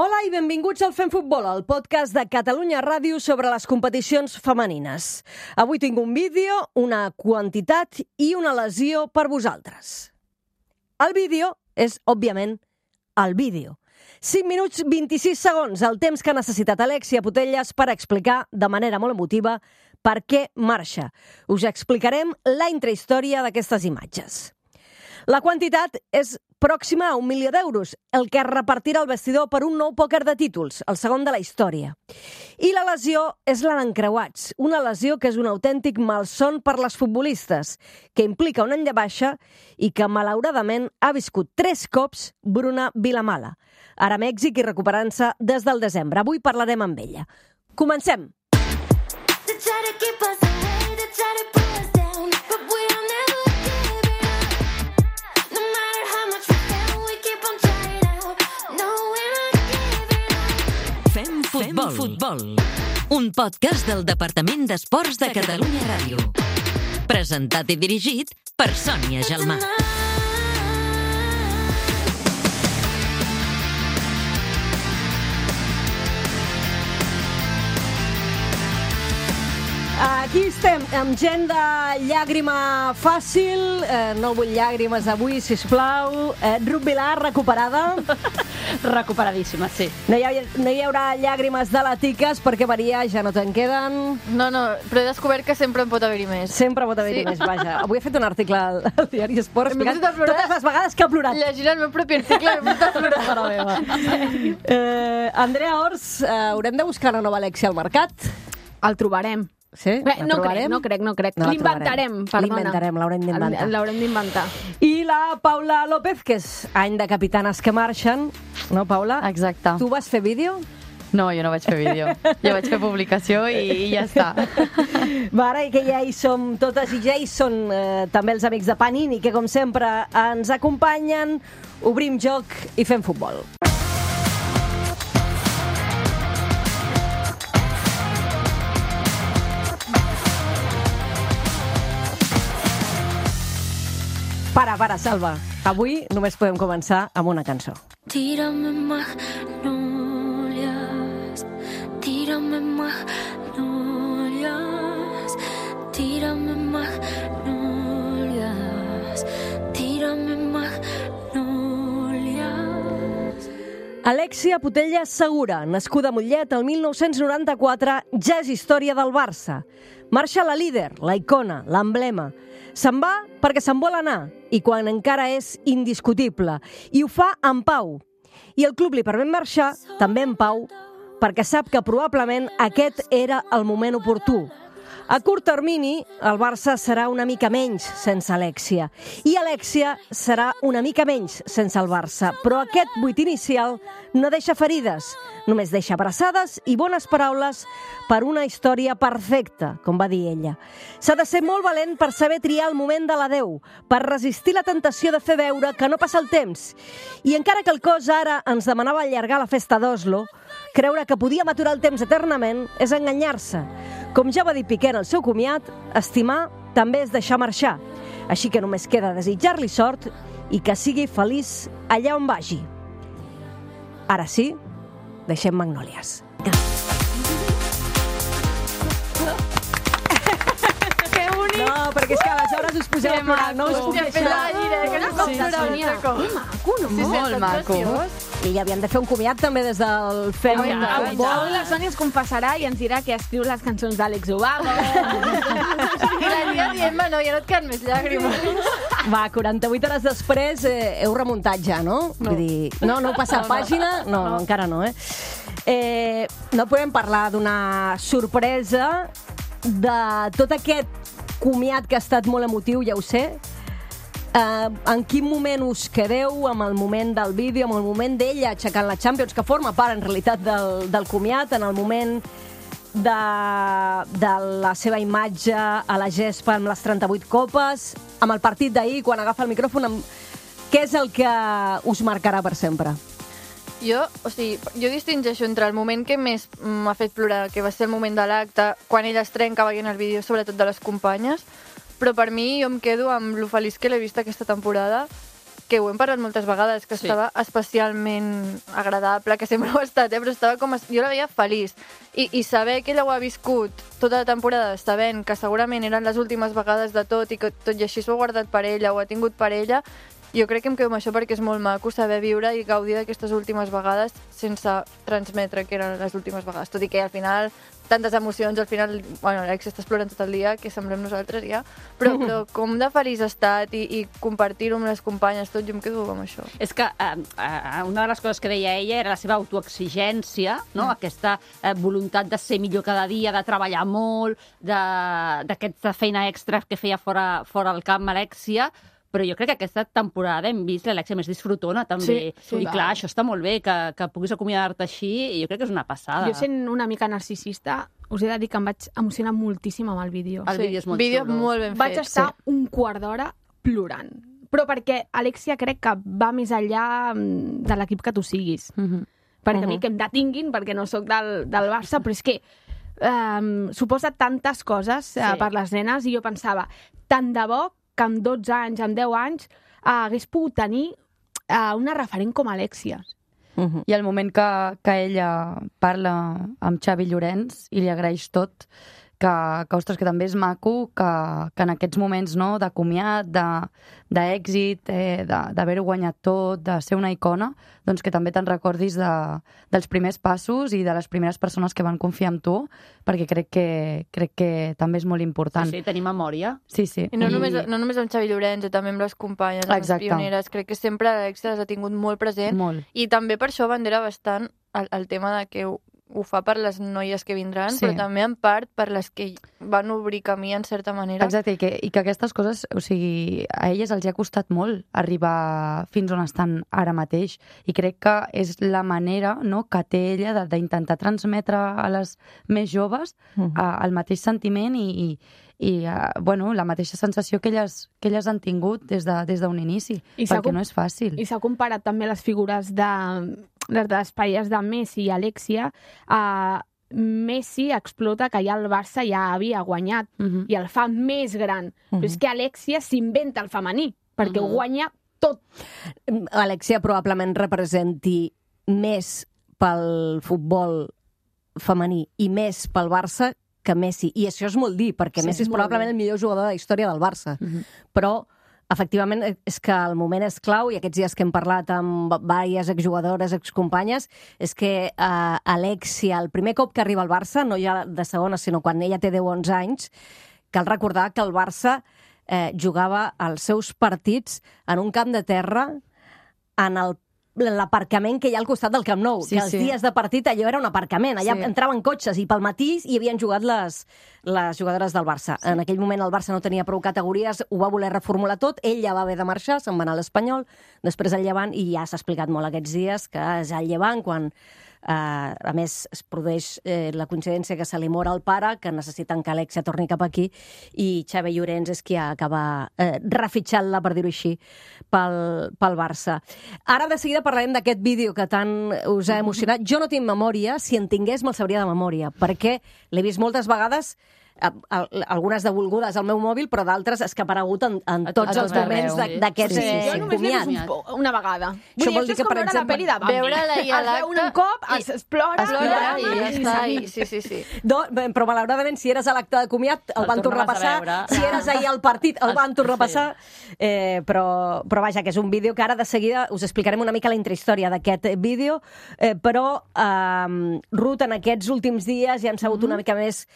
Hola i benvinguts al Fem Futbol, el podcast de Catalunya Ràdio sobre les competicions femenines. Avui tinc un vídeo, una quantitat i una lesió per vosaltres. El vídeo és, òbviament, el vídeo. 5 minuts 26 segons, el temps que ha necessitat Alexia Putellas per explicar de manera molt emotiva per què marxa. Us explicarem la intrahistòria d'aquestes imatges. La quantitat és pròxima a 1 milió d'euros, el que es repartirà al vestidor per un nou pòquer de títols, el segon de la història. I la lesió és la d'encreuats, una lesió que és un autèntic malson per les futbolistes, que implica un any de baixa i que, malauradament, ha viscut 3 cops Bruna Vilamala. Ara a Mèxic i recuperant-se des del desembre. Avui parlarem amb ella. Comencem! Fem Futbol, un podcast del Departament d'Esports de Catalunya Ràdio. Presentat i dirigit per Sònia Gelmà. Aquí estem, amb gent de llàgrima fàcil, no vull llàgrimes avui, sisplau. Ruth Vilar, recuperada. Recuperadíssima, sí. No hi haurà llàgrimes de latiques perquè, Maria, ja no te'n queden. No, però he descobert que sempre en pot haver-hi més. Sempre pot haver-hi més, vaja. Avui he fet un article al diari Esport explicant totes les vegades que ha plorat. Llegint el meu propi article m'he posat a plorar. Mare meva. Andrea Ors, haurem de buscar una nova Alexia al mercat? El trobarem. Sí? No crec. No L'inventarem, perdona. L'inventarem, l'haurem d'inventar. L'haurem d'inventar. I la Paula López, que és any de capitanes que marxen. No, Paula? Exacte. Tu vas fer vídeo? No, jo no vaig fer vídeo. Jo vaig fer publicació i ja està. Va, ara que ja hi som totes i ja hi són també els amics de Panini, que com sempre ens acompanyen, obrim joc i fem futbol. Para, Salva. Avui només podem començar amb una cançó. Tírame magnolias, tírame magnolias, tírame magnolias, tírame magnolias. Alexia Putellas Segura, nascuda a Mollet el 1994, ja és història del Barça. Marxa la líder, la icona, l'emblema. Se'n va perquè se'n vol anar, i quan encara és indiscutible. I ho fa en pau. I el club li permet marxar, també en pau, perquè sap que probablement aquest era el moment oportú. A curt termini, el Barça serà una mica menys sense Alexia. I Alexia serà una mica menys sense el Barça. Però aquest buit inicial no deixa ferides, només deixa abraçades i bones paraules per una història perfecta, com va dir ella. S'ha de ser molt valent per saber triar el moment de l'adeu, per resistir la tentació de fer veure que no passa el temps. I encara que el cos ara ens demanava allargar la festa d'Oslo, creure que podíem aturar el temps eternament és enganyar-se. Com ja va dir Piqué en el seu comiat, estimar també és deixar marxar. Així que només queda desitjar-li sort i que sigui feliç allà on vagi. Ara sí, deixem Magnòlies. Que bonic! No, perquè és que aleshores us poseu a plorar, no us puc deixar. Molt maco. I havien de fer un comiat també des del Fem Avui Futbol. la Sònia es confessarà i ens dirà que escriu les cançons d'Àlex Ubago. I la tia dient-me, no, ja no et queden més llàgrimes. Va, 48 hores després heu remuntat ja, no? Vull dir, no heu passat pàgina? No, encara no, no podem parlar d'una sorpresa de tot aquest comiat que ha estat molt emotiu, ja ho sé. En quin moment us quedeu amb el moment del vídeo, amb el moment d'ella aixecant la Champions, que forma part en realitat del comiat, en el moment de la seva imatge a la gespa amb les 38 copes, amb el partit d'ahir, quan agafa el micròfon, què és el que us marcarà per sempre? Jo distingeixo entre el moment que més m'ha fet plorar, que va ser el moment de l'acte, quan ella es trenca veient el vídeo, sobretot de les companyes, però per mi jo em quedo amb lo feliç que l'he vist aquesta temporada, que ho hem parlat moltes vegades, que estava especialment agradable, que sempre ho ha estat, però estava com... Jo la veia feliç. I saber que ella ho ha viscut tota la temporada, sabent que segurament eren les últimes vegades de tot i que tot i així s'ho ha guardat per ella, ho ha tingut per ella, jo crec que em quedo amb això perquè és molt maco saber viure i gaudir d'aquestes últimes vegades sense transmetre que eren les últimes vegades. Tot i que al final, tantes emocions, al final, bueno, l'Alex estàs plorant tot el dia, que semblem nosaltres ja, però com de feliç ha estat i compartir-ho amb les companyes, tot, jo em quedo amb això. És que una de les coses que deia ella era la seva autoexigència, no? Aquesta voluntat de ser millor cada dia, de treballar molt, d'aquesta feina extra que feia fora al camp Alexia, però jo crec que aquesta temporada hem vist l'Alexia més disfrutona, també. I clar, això està molt bé, que puguis acomiadar-te així, i jo crec que és una passada. Jo, sent una mica narcisista, us he de dir que em vaig emocionar moltíssim amb el vídeo. El vídeo és molt xulo. Molt ben fet. Vaig estar un quart d'hora plorant. Però perquè Alexia crec que va més enllà de l'equip que tu siguis. Perquè a mi que em detinguin, perquè no sóc del Barça, però és que suposa tantes coses per les nenes, i jo pensava, tant de bo que amb 12 anys, amb 10 anys, hagués pogut tenir una referent com Alexia. I el moment que ella parla amb Xavi Llorenç i li agraeix tot, que ostres, que també és maco que en aquests moments, no, de comiat, d'èxit, d'haver-ho guanyat tot, de ser una icona, doncs que també te'n recordis dels primers passos i de les primeres persones que van confiar en tu, perquè crec que també és molt important. Sí, tenir memòria. Sí. I no només amb Xavi Llorenç, també amb les companyes, amb les pioneres. Crec que sempre l'Alexia les ha tingut molt present. Molt. I també per això bandera bastant el tema de que ho fa per les noies que vindran, però també en part per les que van obrir camí en certa manera. Exacte, i que aquestes coses, o sigui, a elles els ha costat molt arribar fins on estan ara mateix, i crec que és la manera, no, que té ella d'intentar transmetre a les més joves el mateix sentiment i bueno, la mateixa sensació que elles han tingut des d'un inici, perquè no és fàcil. I s'ha comparat també les figures les parelles de Messi i Alexia. Messi explota que ja el Barça ja havia guanyat i el fa més gran. Però és que Alexia s'inventa el femení, perquè ho guanya tot. Alexia probablement representi més pel futbol femení i més pel Barça que Messi. I això és molt dir, perquè Messi és probablement el millor jugador de la història del Barça. Però efectivament, és que el moment és clau, i aquests dies que hem parlat amb diverses exjugadores, excompanyes, és que Alexia, el primer cop que arriba al Barça, no ja de segona, sinó quan ella té 10-11 anys, cal recordar que el Barça jugava els seus partits en un camp de terra en l'aparcament que hi ha al costat del Camp Nou, que els dies de partit allò era un aparcament, allà entraven cotxes i pel matí hi havien jugat les jugadores del Barça. En aquell moment el Barça no tenia prou categories, ho va voler reformular tot, ell ja va haver de marxar, se'n va anar a l'Espanyol, després al Llevant, i ja s'ha explicat molt aquests dies que és al Llevant quan a més es produeix la coincidència que se li mor el pare, que necessiten que Alexia torni cap aquí, i Xavi Llorenç és qui acaba refitxant-la, per dir-ho així, pel Barça. Ara de seguida parlarem d'aquest vídeo que tant us ha emocionat. Jo no tinc memòria, si en tingués me'l sabria de memòria, perquè l'he vist moltes vegades, algunes devolgudes al meu mòbil, però d'altres és que ha aparegut en tots els moments d'aquest comiat. Jo només l'he vist una vegada. Això vol dir que, per exemple, veure-la i a l'acte... un cop, es plora i ja està. Sí. Però malauradament, si eres a l'acte de comiat, el van tornar a passar. Si eres ahir al partit, el van tornar a passar. Però vaja, que és un vídeo que ara de seguida us explicarem una mica la intrahistòria d'aquest vídeo, però Ruth, en aquests últims dies ja han sabut una mica més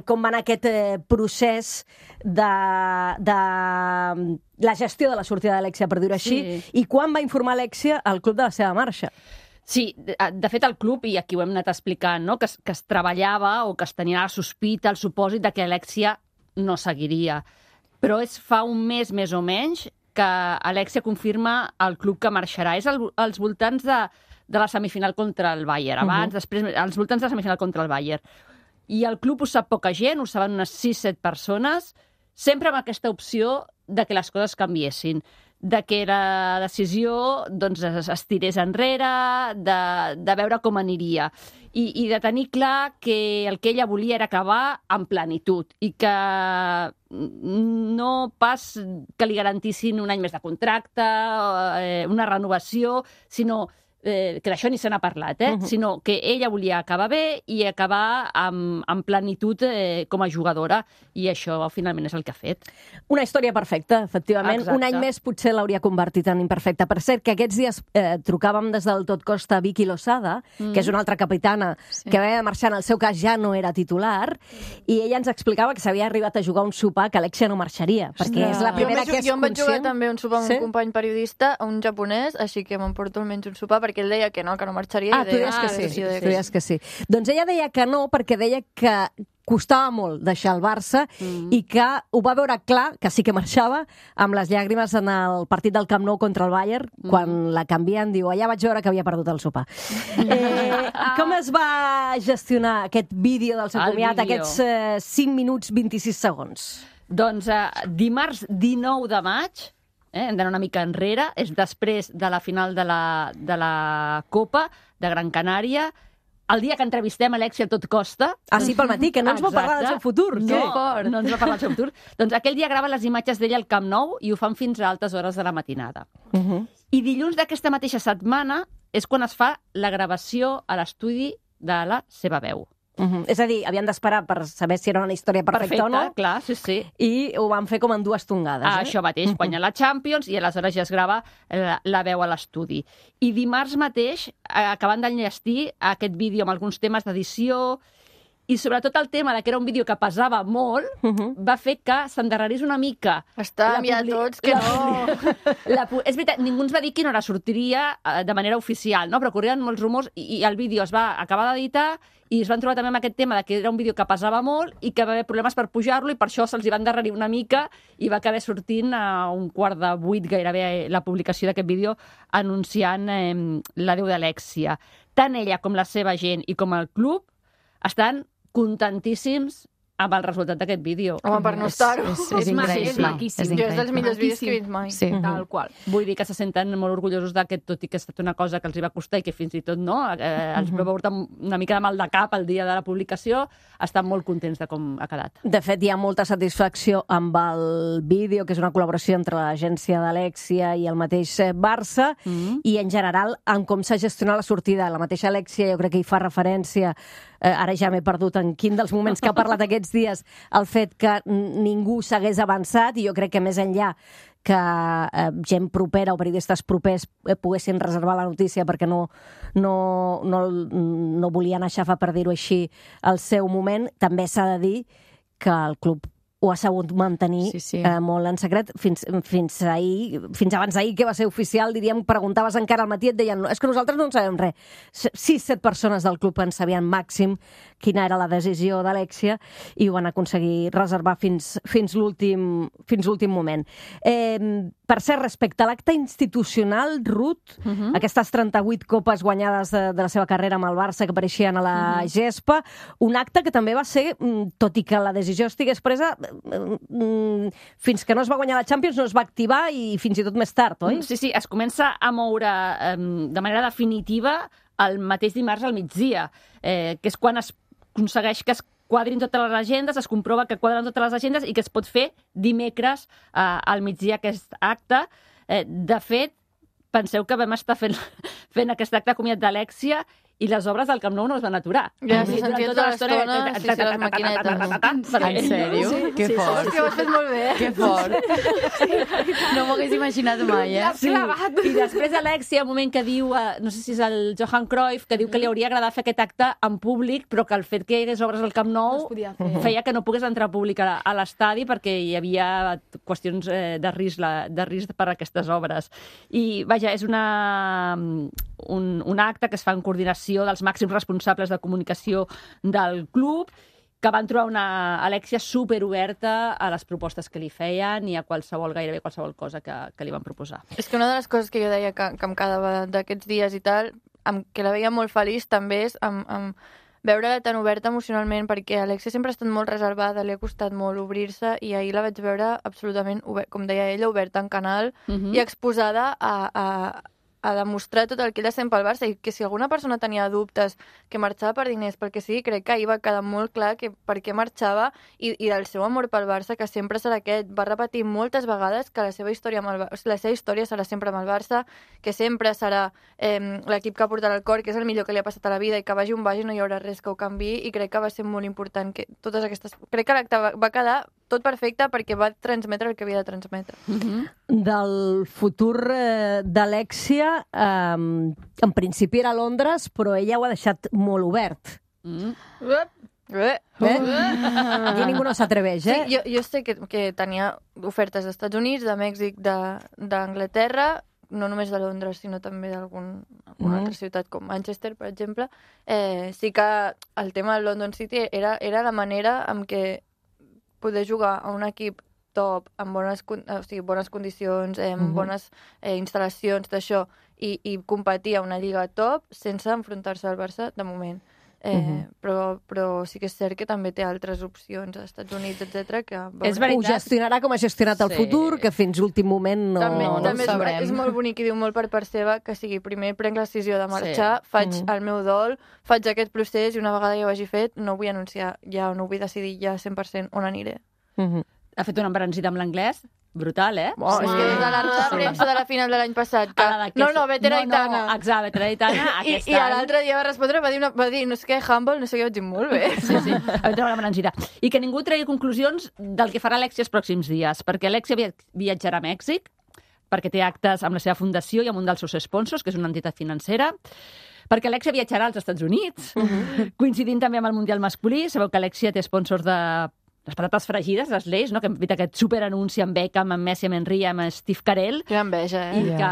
com va anar aquest procés de la gestió de la sortida d'Alexia, per dir-ho així, i quan va informar Alexia al club de la seva marxa. Sí, de fet el club, i aquí ho hem anat explicant, no? que es treballava o que es tenia la sospita, el supòsit de que Alexia no seguiria. Però és fa un mes, més o menys, que Alexia confirma al club que marxarà. És als voltants de la semifinal contra el Bayern. Després, als voltants de la semifinal contra el Bayern. I el club ho sap poca gent, ho saben unes 6-7 persones, sempre amb aquesta opció de que les coses canviessin. de que la decisió doncs, es tirés enrere, de veure com aniria. I de tenir clar que el que ella volia era acabar en plenitud i que no pas que li garantissin un any més de contracte, una renovació, sinó que d'això ni se n'ha parlat, sinó que ella volia acabar bé i acabar amb plenitud com a jugadora, i això finalment és el que ha fet. Una història perfecta, efectivament. Exacte. Un any més potser l'hauria convertit en imperfecta. Per cert, que aquests dies trucàvem des del Tot Costa a Vicky Losada, que és una altra capitana que havia de marxar, en el seu cas ja no era titular, i ella ens explicava que s'havia arribat a jugar un sopar que Alexia no marxaria, perquè és la primera que és Jo em vaig jugar conscient. també un sopar amb un company periodista, un japonès, així que m'emporto almenys un sopar, perquè ell deia que no marxaria. Tu deies que sí. Tu deies que sí. Doncs ella deia que no, perquè deia que costava molt deixar el Barça i que ho va veure clar, que sí que marxava, amb les llàgrimes en el partit del Camp Nou contra el Bayern, quan la canvien, diu, allà vaig veure que havia perdut el sopar. Com es va gestionar aquest vídeo del seu comiat, aquests 5 minuts 26 segons? Doncs dimarts 19 de maig, hem d'anar una mica enrere, és després de la final de la Copa de Gran Canària, el dia que entrevistem Alexia Tot Costa. Ah, sí, pel matí, que no ens va parlar del seu futur. No ens va parlar del seu futur. Doncs aquell dia grava les imatges d'ella al Camp Nou i ho fan fins a altes hores de la matinada. I dilluns d'aquesta mateixa setmana és quan es fa la gravació a l'estudi de la seva veu. És a dir, havien d'esperar per saber si era una història perfecta o no. Clar, sí. I ho van fer com en 2 tongades. Això mateix, guanya la Champions i aleshores ja es grava la veu a l'estudi. I dimarts mateix, acabant d'enllestir aquest vídeo amb alguns temes d'edició, i sobretot el tema de que era un vídeo que pesava molt, va fer que s'endarrerís una mica. Estàvem ja tots que no... És veritat, ningú ens va dir quina hora sortiria de manera oficial, no? Però corrien molts rumors i el vídeo es va acabar d'editar i es van trobar també amb aquest tema de que era un vídeo que pesava molt i que va haver problemes per pujar-lo i per això se'ls hi va endarrerir una mica i va acabar sortint a 7:15 gairebé la publicació d'aquest vídeo anunciant l'adeu d'Alexia. Tant ella com la seva gent i com el club estan contentíssims amb el resultat d'aquest vídeo. Home, per no estar-ho. És maquíssim. Jo és dels millors vídeos que he vist mai. Sí. Tal qual. Vull dir que se senten molt orgullosos que tot i que ha estat una cosa que els hi va costar i que fins i tot no, els va portar una mica de mal de cap el dia de la publicació, estan molt contents de com ha quedat. De fet, hi ha molta satisfacció amb el vídeo, que és una col·laboració entre l'agència d'Alexia i el mateix Barça, i en general en com s'ha gestionat la sortida. La mateixa Alexia jo crec que hi fa referència, ara ja m'he perdut en quin dels moments que ha parlat aquests dies, el fet que ningú s'hagués avançat, i jo crec que més enllà que gent propera o periodistes propers poguessin reservar la notícia perquè no volien aixafar, per dir-ho així, el seu moment, també s'ha de dir que el club ho ha sabut mantenir molt en secret fins abans d'ahir, que va ser oficial, diríem, preguntaves encara al matí i et deien, és que nosaltres no en sabem res. 6-7 persones del club en sabien màxim quina era la decisió d'Alexia i ho van aconseguir reservar fins l'últim moment. Per cert, respecte a l'acte institucional, Ruth, aquestes 38 copes guanyades de la seva carrera amb el Barça que apareixien a la gespa, un acte que també va ser, tot i que la decisió estigués presa, fins que no es va guanyar la Champions no es va activar i fins i tot més tard, oi? Sí, es comença a moure de manera definitiva el mateix dimarts al migdia, que és quan es aconsegueix que es quadrin totes les agendes, es comprova que quadren totes les agendes i que es pot fer dimecres al migdia aquest acte. De fet, penseu que vam estar fent aquest acte de comiat d'Alexia i les obres del Camp Nou no es van aturar. Ja, s'hi sentia tota l'estona, les maquinetes. En sèrio? Que fort. És que ho has fet molt bé. Que fort. No m'ho hagués imaginat mai, Sí. I després Alexia, un moment que diu, no sé si és el Johan Cruyff, que diu que li hauria agradat fer aquest acte en públic, però que el fet que hi hagués obres al Camp Nou feia que no pogués entrar públic a l'estadi perquè hi havia qüestions de risc per a aquestes obres. I, vaja, és un acte que es fa en coordinació dels màxims responsables de comunicació del club, que van trobar una Alexia superoberta a les propostes que li feien i a gairebé qualsevol cosa que li van proposar. És que una de les coses que jo deia que em quedava d'aquests dies i tal, que la veia molt feliç també és amb veure-la tan oberta emocionalment, perquè Alexia sempre ha estat molt reservada, li ha costat molt obrir-se, i ahir la vaig veure absolutament, com deia ella, oberta en canal i exposada a demostrar tot el que ella sent pel Barça, i que si alguna persona tenia dubtes que marxava per diners, perquè sí, crec que ahir va quedar molt clar que per què marxava i del seu amor pel Barça, que sempre serà aquest. Va repetir moltes vegades que la seva història serà sempre amb el Barça, que sempre serà l'equip que ha portat al cor, que és el millor que li ha passat a la vida, i que vagi on vagi no hi haurà res que ho canviï, i crec que va ser molt important que totes aquestes... Crec que l'acte va quedar tot perfecte perquè va transmetre el que havia de transmetre. Del futur d'Alexia, en principi era a Londres, però ella ho ha deixat molt obert. Aquí ningú no s'atreveix, eh? Sí, jo sé que tenia ofertes dels Estats Units, de Mèxic, d'Anglaterra, no només de Londres, sinó també d'alguna altra ciutat com Manchester, per exemple. Sí que el tema del London City era la manera en què poder jugar a un equip top, amb bones condicions, amb bones instal·lacions d'això, i competir a una lliga top sense enfrontar-se al Barça, de moment. Però sí que és cert que també té altres opcions als Estats Units, etc. que ho gestionarà com ha gestionat el futur, que fins l'últim moment no sabrem. És molt bonic i diu molt per part seva que sigui primer prenc la decisió de marxar, faig el meu dol, faig aquest procés, i una vegada ja ho hagi fet no ho vull anunciar ja, no vull decidir ja 100% on aniré. Ha fet una embranzida amb l'anglès brutal, eh? És que des de la roda de premsa de la final de l'any passat, veteraitana. Exacte, veteraitana. I l'altre dia va respondre, va dir, no sé què, humble, no sé què, vaig dir molt bé. Sí, va treure l'embranzida. I que ningú tregui conclusions del que farà Alexia els pròxims dies, perquè Alexia viatjarà a Mèxic, perquè té actes amb la seva fundació i amb un dels seus sponsors, que és una entitat financera, perquè Alexia viatjarà als Estats Units, coincidint també amb el Mundial masculí. Sabeu que Alexia té sponsors de les patates fregides, les Lays, no? Que hem fet aquest superanunci amb Beckham, amb Messi, amb Henry, amb Steve Carell. Que enveja, I que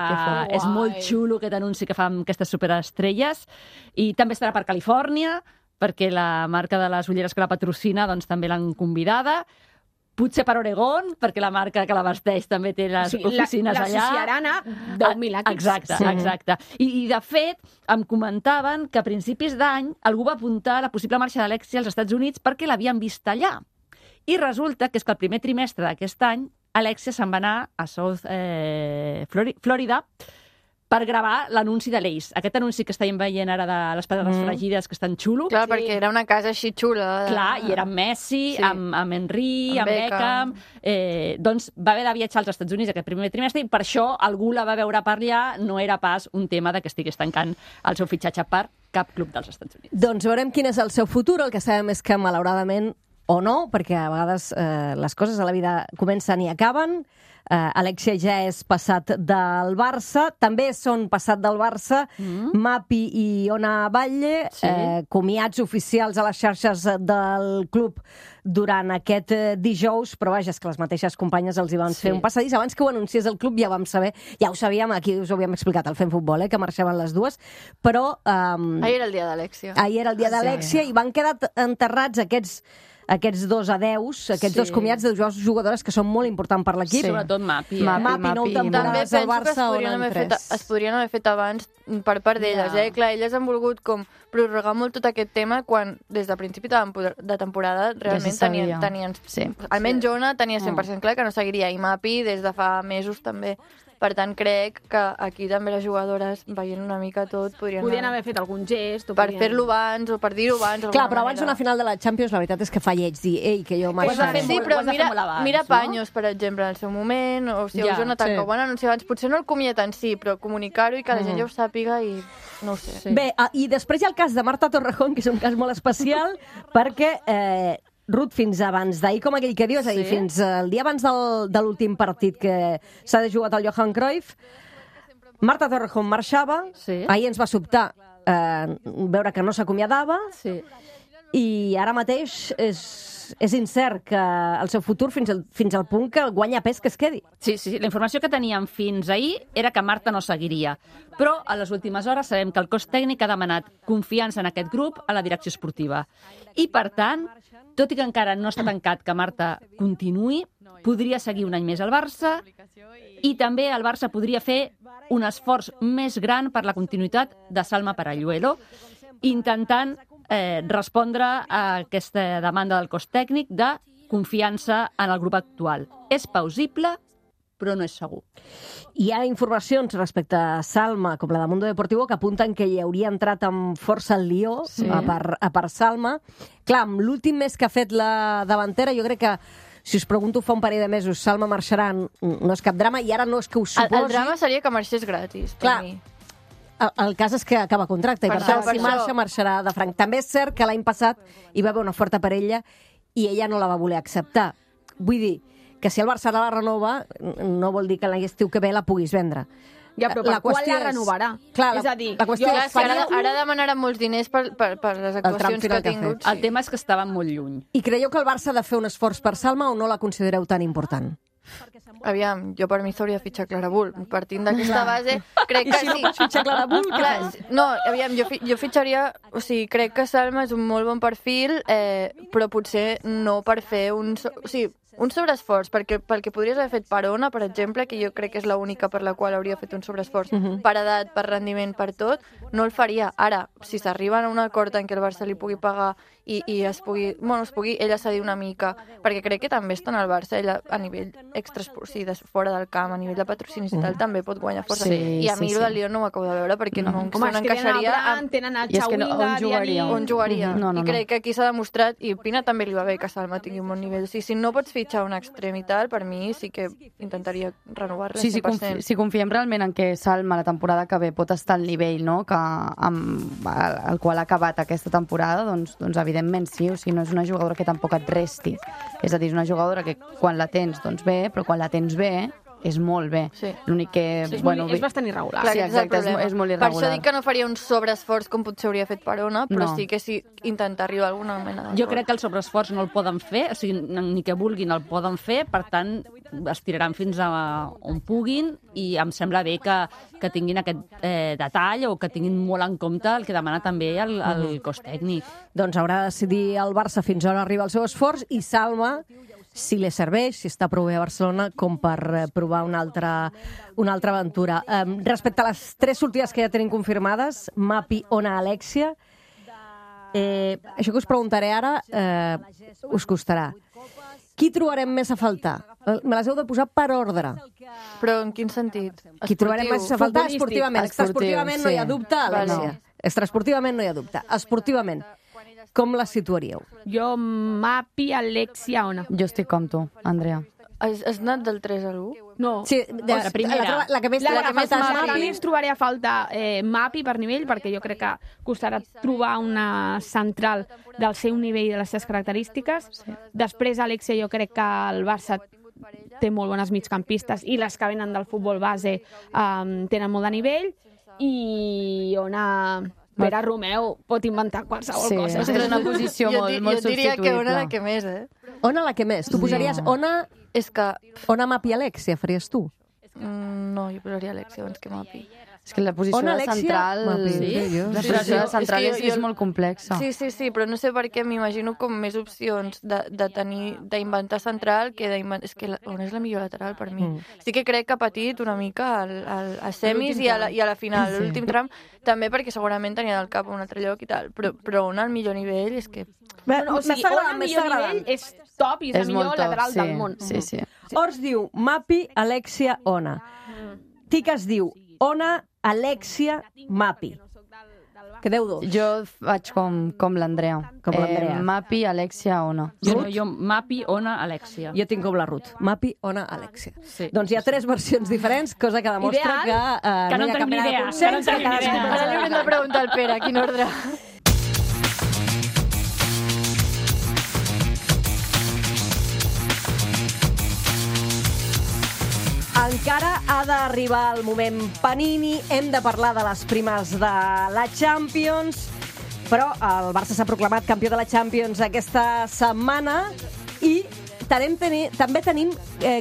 és molt xulo aquest anunci que fa amb aquestes superestrelles. I també estarà per Califòrnia, perquè la marca de les ulleres que la patrocina doncs, també l'han convidada. Potser per Oregon, perquè la marca que la vesteix també té les oficines allà. L'associaran a 10.000 equips. Exacte. I, de fet, em comentaven que a principis d'any algú va apuntar la possible marxa d'Alexia als Estats Units perquè l'havien vist allà. I resulta que és que el primer trimestre d'aquest any Alexia se'n va anar a South Florida per gravar l'anunci de l'Ace. Aquest anunci que estàvem veient ara de les patates fregides, que és tan xulo. Clar, perquè era una casa així xula. Clar, i era amb Messi, amb Henry, amb Beckham. Doncs va haver de viatjar als Estats Units aquest primer trimestre, i per això algú la va veure per allà. No era pas un tema de que estigués tancant el seu fitxatge per cap club dels Estats Units. Doncs veurem quin és el seu futur. El que sabem és que, malauradament, o no, perquè a vegades les coses a la vida comencen i acaben. Alexia ja és passat del Barça. També són passat del Barça Mapi i Ona Batlle, comiats oficials a les xarxes del club durant aquest dijous, però vaja, és que les mateixes companyes els hi van fer un passadís. Abans que ho anunciés el club ja vam saber, ja ho sabíem, aquí us ho havíem explicat al Fem Futbol, que marxaven les dues, però... Ahir era el dia d'Alexia. Ahir era el dia d'Alexia i van quedar enterrats aquests dos adeus, aquests dos comiats de dues jugadores que són molt importants per l'equip. Sobretot Mapi. Mapi, 9 temporades al Barça, on en 3. Es podrien haver fet abans per part d'elles. Clar, elles han volgut com prorrogar molt tot aquest tema quan des de principi de temporada realment tenien almenys Ona tenia 100% clar que no seguiria, i Mapi des de fa mesos també. Per tant, crec que aquí també les jugadores, veient una mica tot, podrien haver fet algun gest. Per fer-lo abans o per dir-ho abans. Clar, però abans d'una final de la Champions, la veritat és que fa lleig dir, que jo marxaré. Sí, però mira Paños, per exemple, en el seu moment, o si Jonathan, que ho van anunciar abans. Potser no el comiat en si, però comunicar-ho i que la gent ja ho sàpiga i no ho sé. Bé, i després hi ha el cas de Marta Torrejón, que és un cas molt especial, perquè... Ruth, fins abans d'ahir, com aquell que diu, és a dir, fins el dia abans de l'últim partit que s'ha de jugar al Johan Cruyff, Marta Torrejón marxava, ahir ens va sobtar veure que no s'acomiadava, i ara mateix és incert que el seu futur fins al punt que guanya pes que es quedi. Sí, la informació que teníem fins ahir era que Marta no seguiria, però a les últimes hores sabem que el cos tècnic ha demanat confiança en aquest grup a la direcció esportiva. I, per tant, tot i que encara no està tancat que Marta continuï, podria seguir un any més al Barça, i també el Barça podria fer un esforç més gran per la continuïtat de Salma Paralluelo, intentant respondre a aquesta demanda del cos tècnic de confiança en el grup actual. És plausible, però no és segur. Hi ha informacions respecte a Salma, com la de Mundo Deportivo, que apunten que hi hauria entrat amb força el Lió a per Salma. Clar, amb l'últim mes que ha fet la davantera, jo crec que, si us pregunto fa un parell de mesos, Salma marxarà, no és cap drama, i ara no és que ho suposi. El drama seria que marxés gratis, per mi. El cas és que acaba contracte, i per tant, si marxarà de franc. També és cert que l'any passat hi va haver una oferta per ella i ella no la va voler acceptar. Vull dir que si el Barça la renova, no vol dir que l'estiu que ve la puguis vendre. Ja, però per quan la renovarà? Clar, és a dir, la qüestió és... Ara demanaran molts diners per les actuacions que ha tingut. El tema és que estaven molt lluny. I creieu que el Barça ha de fer un esforç per Salma o no la considereu tan important? Aviam, jo per mi s'hauria de fitxar Clara Bull. Partint d'aquesta base, crec que sí. Fitxar Clara Bull? No, aviam, jo fitxaria... O sigui, crec que Salma és un molt bon perfil, però potser no per fer un... O sigui, un sobreesforç, perquè pel que podries haver fet per Ona, per exemple, que jo crec que és l'única per la qual hauria fet un sobreesforç, per edat, per rendiment, per tot, no el faria. Ara, si s'arriben a un acord en què el Barça li pugui pagar i es pugui ella cedir una mica, perquè crec que també està en el Barça, ella a nivell fora del camp, a nivell de patrocinis i tal, també pot guanyar força. I a mi el del Lyon no ho acabo de veure, perquè no encaixaria... Tenen el Xauinga, on jugaria. I crec que aquí s'ha demostrat, i Pina també li va bé que Salma tingui un bon nivell. Si no pots fitxar un extrem i tal, per mi sí que intentaria renovar-la 100%. Si confiem realment en que Salma la temporada que ve pot estar al nivell, no?, que amb el qual ha acabat aquesta temporada, doncs evidentment sí, o sigui, no és una jugadora que tampoc et resti. És a dir, és una jugadora que quan la tens, doncs bé, però quan la tens bé, és molt bé. Sí. L'únic que... és bastant irregular. Clar, sí, exacte, és molt irregular. Per això dic que no faria un sobreesforç com potser hauria fet per Ona, però sí que intentar arribar a alguna mena d'acord. Jo crec que el sobreesforç no el poden fer, o sigui, ni que vulguin el poden fer, per tant, es tiraran fins a on puguin, i em sembla bé que tinguin aquest detall o que tinguin molt en compte el que demana també el cos tècnic. Doncs haurà de decidir el Barça fins on arriba el seu esforç, i Salma, si li serveix, si està prou bé a Barcelona, com per provar una altra aventura. Respecte a les 3 sortides que ja tenim confirmades, Mapi, Ona, Alexia, això que us preguntaré ara us costarà. Qui trobarem més a faltar? Me les heu de posar per ordre. Però en quin sentit? Qui trobarem més a faltar? Esportivament. Extraesportivament no hi ha dubte, Alexia. Extraesportivament no hi ha dubte. Esportivament, com la situaríeu? Jo, Mapi, Alexia, Ona. Jo estic com tu, Andrea. Has anat del 3 a l'1? No. Sí, la primera. La que més Mapi ens trobaré a falta Mapi per nivell, perquè jo crec que costarà trobar una central del seu nivell i de les seves característiques. Sí. Després, Alexia, jo crec que el Barça té molt bones migcampistes i les que venen del futbol base tenen molt de nivell, i Ona... Vera Romeu pot inventar qualsevol cosa. És una posició molt substituïble. Jo diria que Ona la que més, Ona la que més. Tu posaries Ona... És que... Ona, Mapi, Alexia, faries tu? No, jo posaria Alexia abans que Mapi. És que la posició de central... La posició de central és molt complexa. Sí, però no sé per què m'imagino com més opcions d'inventar central que d'inventar... És que on és la millor lateral per mi? Sí que crec que ha patit una mica a semis i a la final, l'últim tram, també perquè segurament tenia del cap a un altre lloc i tal, però on el millor nivell és que... O sigui, on el millor nivell és top i és el millor lateral del món. Sí. Ors diu Mapi, Alexia, Ona. Tiques diu Ona, Alexia, Mapi. Quedeu dos. Jo vaig com l'Andrea. Mapi, Alexia, Ona. Jo Mapi, Ona, Alexia. Jo tinc com la Ruth. Mapi, Ona, Alexia. Sí. Doncs hi ha 3 versions diferents, cosa que demostra que no hi ha cap mena de consens. Ara li haurem de preguntar al Pere quin ordre. Encara ha d'arribar el moment Panini, hem de parlar de les primes de la Champions, però el Barça s'ha proclamat campió de la Champions aquesta setmana i també tenim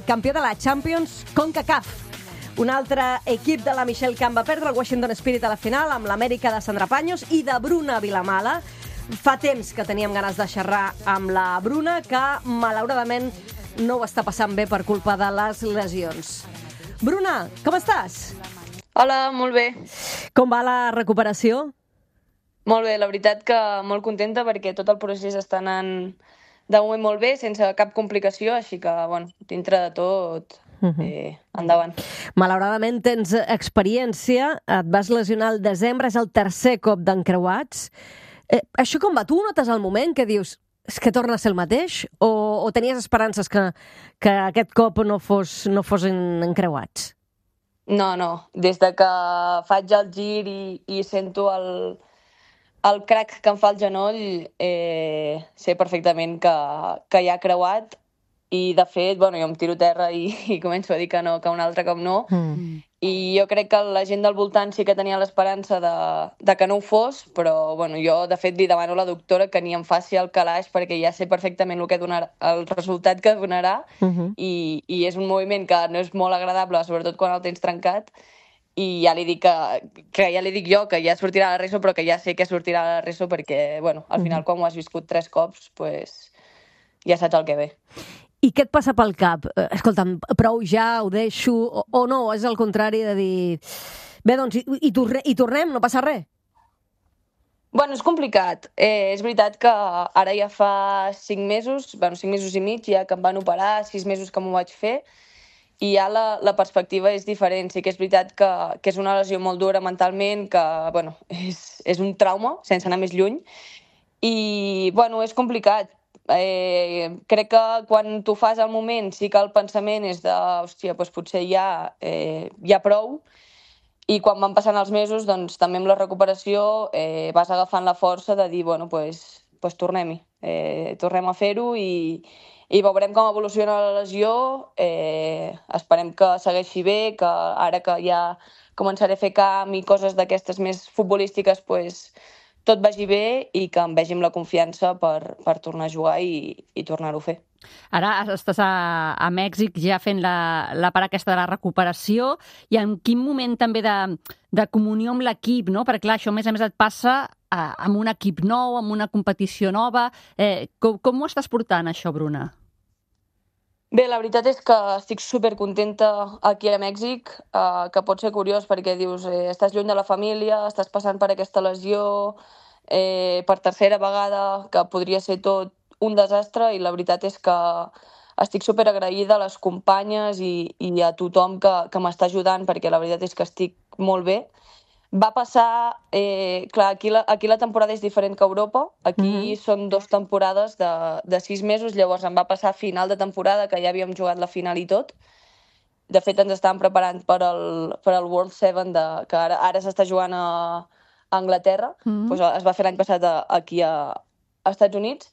campió de la Champions CONCACAF. Un altre equip de la Michelle Camp va perdre el Washington Spirit a la final amb l'Amèrica de Sandra Paños i de Bruna Vilamala. Fa temps que teníem ganes de xerrar amb la Bruna, que malauradament no ho està passant bé per culpa de les lesions. Bruna, com estàs? Hola, molt bé. Com va la recuperació? Molt bé, la veritat que molt contenta perquè tot el procés està anant de moment molt bé, sense cap complicació, així que, bueno, dintre de tot, endavant. Malauradament tens experiència, et vas lesionar al desembre, és el tercer cop d'encreuats. Això com va? Tu notes al moment que dius és que torna a ser el mateix? O tenies esperances que aquest cop no fossin encreuats? No. Des de que faig el gir i sento el crac que em fa el genoll, sé perfectament que ja ha creuat i, de fet, jo em tiro a terra i començo a dir que no, que un altre cop no. I jo crec que la gent del voltant sí que tenia l'esperança de que no ho fos, però jo, de fet, li demano a la doctora que ni em faci el calaix perquè ja sé perfectament el resultat que donarà i és un moviment que no és molt agradable, sobretot quan el tens trencat, i ja li dic que ja li dic jo que ja sortirà a la RESO, però que ja sé que sortirà a la RESO perquè, al final, quan ho has viscut 3 cops, ja saps el que ve. I què et passa pel cap? Escolta'm, prou ja, ho deixo, o no? És el contrari de dir... Bé, doncs, i tornem, no passa res? És complicat. És veritat que ara ja fa 5 mesos, 5 mesos i mig, ja que em van operar, 6 mesos que m'ho vaig fer, i ja la perspectiva és diferent. Sí que és veritat que és una lesió molt dura mentalment, que, és un trauma, sense anar més lluny, i, és complicat. Crec que quan t'ho fas al moment sí que el pensament és de hòstia, potser ja prou, i quan van passant els mesos també amb la recuperació vas agafant la força de dir tornem-hi, tornem a fer-ho i veurem com evoluciona la lesió. Esperem que segueixi bé, que ara que ja començaré a fer camp i coses d'aquestes més futbolístiques tot vagi bé i que em vegi amb la confiança per tornar a jugar i tornar-ho a fer. Ara estàs a Mèxic ja fent la part aquesta de la recuperació i en quin moment també de comunió amb l'equip, no? Perquè clar, això a més et passa amb un equip nou, amb una competició nova. Com ho estàs portant, això, Bruna? Bé, la veritat és que estic supercontenta aquí a Mèxic, que pot ser curiós perquè dius, estàs lluny de la família, estàs passant per aquesta lesió, per tercera vegada, que podria ser tot un desastre, i la veritat és que estic superagraïda a les companyes i a tothom que m'està ajudant, perquè la veritat és que estic molt bé. Va passar... clar, aquí la temporada és diferent que a Europa. Aquí són 2 temporades de 6 mesos, llavors em va passar a final de temporada, que ja havíem jugat la final i tot. De fet, ens estàvem preparant per al World 7, que ara s'està jugant a Anglaterra. Es va fer l'any passat aquí a Estats Units.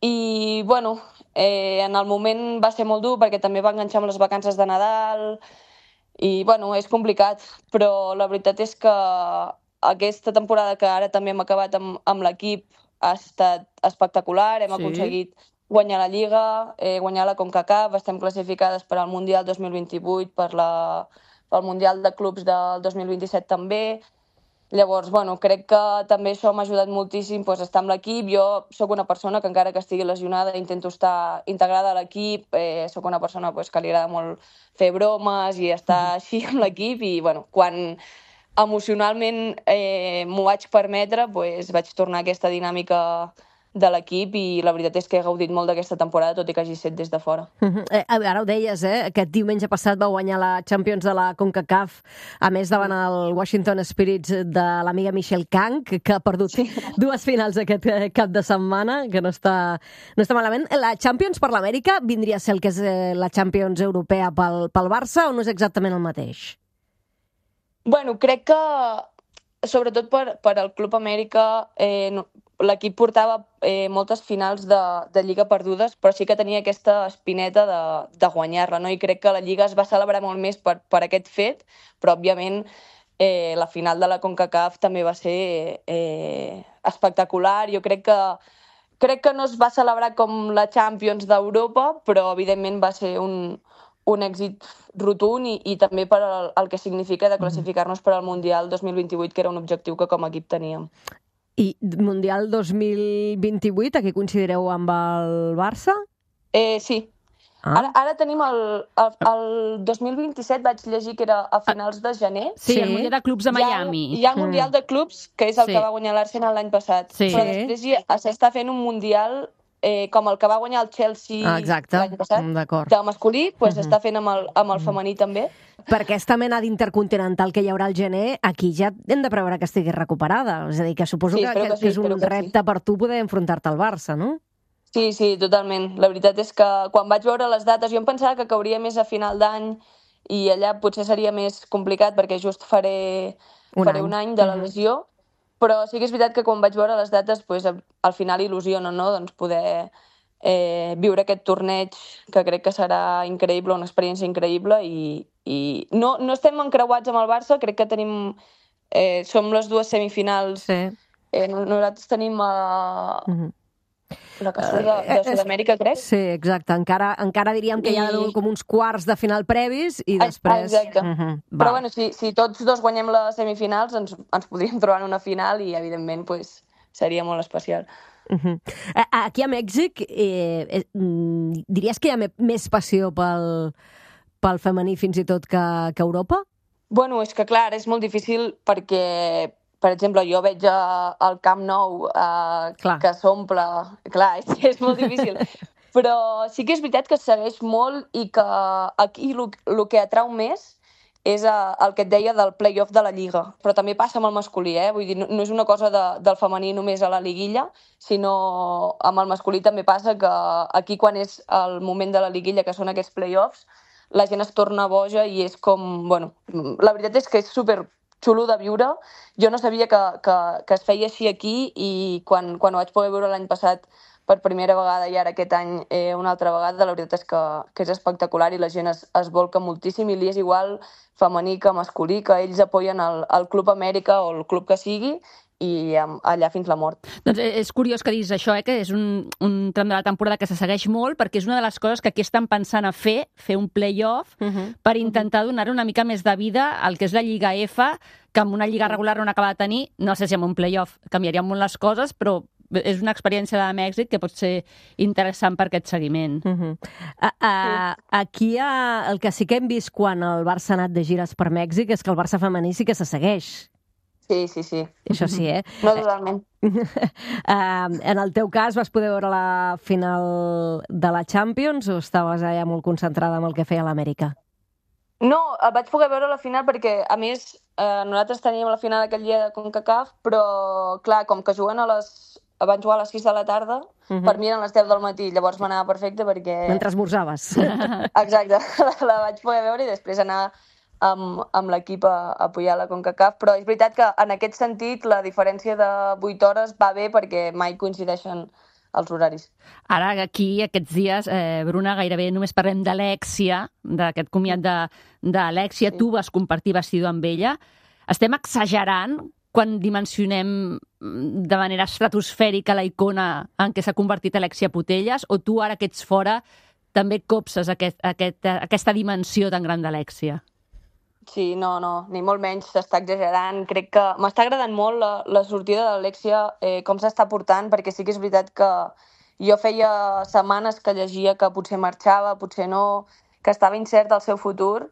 I, en el moment va ser molt dur, perquè també va enganxar amb les vacances de Nadal. I, és complicat, però la veritat és que aquesta temporada que ara també hem acabat amb l'equip ha estat espectacular. Hem aconseguit guanyar la Lliga, guanyar la CONCACAF, estem classificades per al Mundial 2028, pel Mundial de Clubs del 2027 també. Llavors, crec que també això m'ha ajudat moltíssim estar amb l'equip. Jo sóc una persona que, encara que estigui lesionada, intento estar integrada a l'equip. Sóc una persona que li agrada molt fer bromes i estar així amb l'equip. I, quan emocionalment m'ho vaig permetre, vaig tornar a aquesta dinàmica de l'equip i la veritat és que he gaudit molt d'aquesta temporada, tot i que hagi set des de fora. Ara ho deies, aquest diumenge passat va guanyar la Champions de la CONCACAF, a més davant el Washington Spirits de l'amiga Michelle Kang, que ha perdut 2 finals aquest cap de setmana, que no està malament. La Champions per l'Amèrica vindria a ser el que és la Champions europea pel Barça, o no és exactament el mateix? Crec que, sobretot per al Club Amèrica, l'equip portava moltes finals de Lliga perdudes, però sí que tenia aquesta espineta de guanyar-la, no? I crec que la Lliga es va celebrar molt més per aquest fet, però, òbviament, la final de la CONCACAF també va ser espectacular. Jo crec que no es va celebrar com la Champions d'Europa, però, evidentment, va ser un èxit rotund i també per el que significa de classificar-nos per al Mundial 2028, que era un objectiu que com a equip teníem. I Mundial 2028, a què considereu amb el Barça? Sí. Ara tenim el 2027, vaig llegir que era a finals de gener. Sí, el Mundial de Clubs de Miami. Hi ha el Mundial de Clubs, que és el que va guanyar l'Arsenal l'any passat. Sí. Però després s'està fent un Mundial com el que va guanyar el Chelsea l'any passat, de masculí, s'està fent amb el femení també. Per aquesta mena d'intercontinental que hi haurà al gener, aquí ja hem de preveure que estigui recuperada. És a dir, que suposo que és un repte per tu poder enfrontar-te al Barça, no? Sí, totalment. La veritat és que quan vaig veure les dates, jo em pensava que cauria més a final d'any i allà potser seria més complicat perquè just faré un any de la lesió, però sí que és veritat que quan vaig veure les dates, al final il·lusiona, no? Doncs poder viure aquest torneig, que crec que serà increïble, una experiència increïble, i no estem encreuats amb el Barça, crec que tenim... som les dues semifinals. Nosaltres tenim la que surt de Sud-amèrica, crec. Sí, exacte. Encara diríem que hi ha com uns quarts de final previs i després... Exacte. Però bueno, si tots dos guanyem les semifinals, ens podríem trobar en una final i, evidentment, seria molt especial. Aquí a Mèxic diries que hi ha més passió pel femení fins i tot que a Europa? Bueno, és que clar, és molt difícil perquè, per exemple, jo veig al Camp Nou que s'omple... Clar, és molt difícil. Però sí que és veritat que es segueix molt i que aquí el que atrau més és el que et deia del play-off de la Lliga. Però també passa amb el masculí, Vull dir, no és una cosa del femení només a la liguilla, sinó amb el masculí també passa que aquí, quan és el moment de la liguilla, que són aquests play-offs, la gent es torna boja i és com... Bueno, la veritat és que és super xulo de viure. Jo no sabia que es feia així aquí i quan ho vaig poder veure l'any passat per primera vegada i ara aquest any una altra vegada, la veritat és que és espectacular i la gent es volca moltíssim i li és igual femení que masculí, que ells apoyen el Club Amèrica o el club que sigui i allà fins la mort. Doncs és curiós que diguis això, que és un tram de la temporada que se segueix molt, perquè és una de les coses que aquí estan pensant a fer un play-off per intentar donar una mica més de vida al que és la Lliga F, que amb una lliga regular on acaba de tenir, no sé si amb un play-off canviarien molt les coses, però és una experiència de Mèxic que pot ser interessant per aquest seguiment. Aquí el que sí que hem vist quan el Barça ha anat de gires per Mèxic és que el Barça femení sí que se segueix. Sí. Això sí, No, totalment. En el teu cas, vas poder veure la final de la Champions o estaves allà molt concentrada amb el que feia l'Amèrica? No, vaig poder veure la final perquè, a més, nosaltres teníem la final aquell dia de CONCACAF, però, clar, com que van jugar a les 6 de la tarda, per mi eren les 10 del matí, llavors m'anava perfecte perquè... Mentre esmorzaves. Exacte, la vaig poder veure i després anar amb l'equip a apoyar la CONCACAF, però és veritat que en aquest sentit la diferència de 8 hores va bé perquè mai coincideixen els horaris. Ara, aquí, aquests dies, Bruna, gairebé només parlem d'Alèxia, d'aquest comiat d'Alèxia. Tu vas compartir vestidor amb ella. Estem exagerant quan dimensionem de manera estratosfèrica la icona en què s'ha convertit Alèxia Putellas, o tu, ara que ets fora, també copses aquesta dimensió tan gran d'Alèxia? Sí, no, ni molt menys, s'està exagerant. Crec que m'està agradant molt la sortida d'Alèxia, com s'està portant, perquè sí que és veritat que jo feia setmanes que llegia que potser marxava, potser no, que estava incert el seu futur,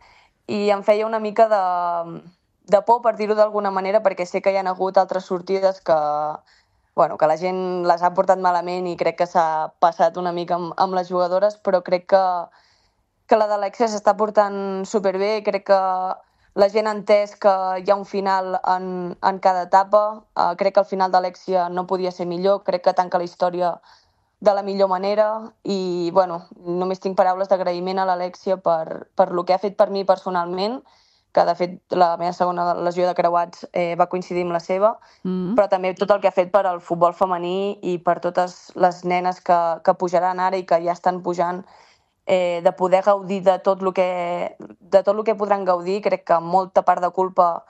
i em feia una mica de por, per dir-ho d'alguna manera, perquè sé que hi ha hagut altres sortides que la gent les ha portat malament i crec que s'ha passat una mica amb les jugadores, però crec que la d'Alèxia s'està portant superbé. Crec que la gent ha entès que hi ha un final en cada etapa. Crec que el final d'Alèxia no podia ser millor. Crec que tanca la història de la millor manera i, només tinc paraules d'agraïment a l'Alèxia per lo que ha fet per mi personalment, que de fet la meva segona lesió de creuats va coincidir amb la seva, però també tot el que ha fet per al futbol femení i per totes les nenes que pujaran ara i que ja estan pujant, de poder gaudir de tot el que podran gaudir. Crec que molta part de culpa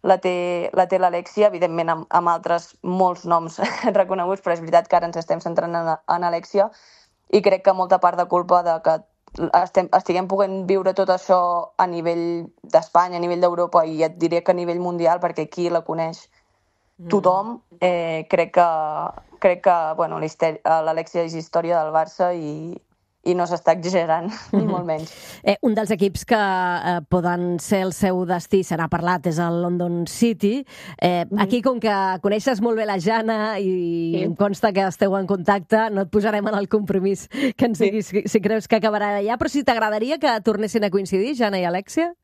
la té l'Alèxia, evidentment amb altres molts noms reconeguts, però és veritat que ara ens estem centrant en Alèxia i crec que molta part de culpa de que estiguem podent viure tot això a nivell d'Espanya, a nivell d'Europa i et diré que a nivell mundial, perquè aquí la coneix tothom. Crec que l'Alèxia és història del Barça i i no s'està exagerant, ni molt menys. Un dels equips que poden ser el seu destí, se n'ha parlat, és el London City. Aquí, com que coneixes molt bé la Jana i em consta que esteu en contacte, no et posarem en el compromís que ens diguis si creus que acabarà allà, però si t'agradaria que tornessin a coincidir, Jana i Alexia?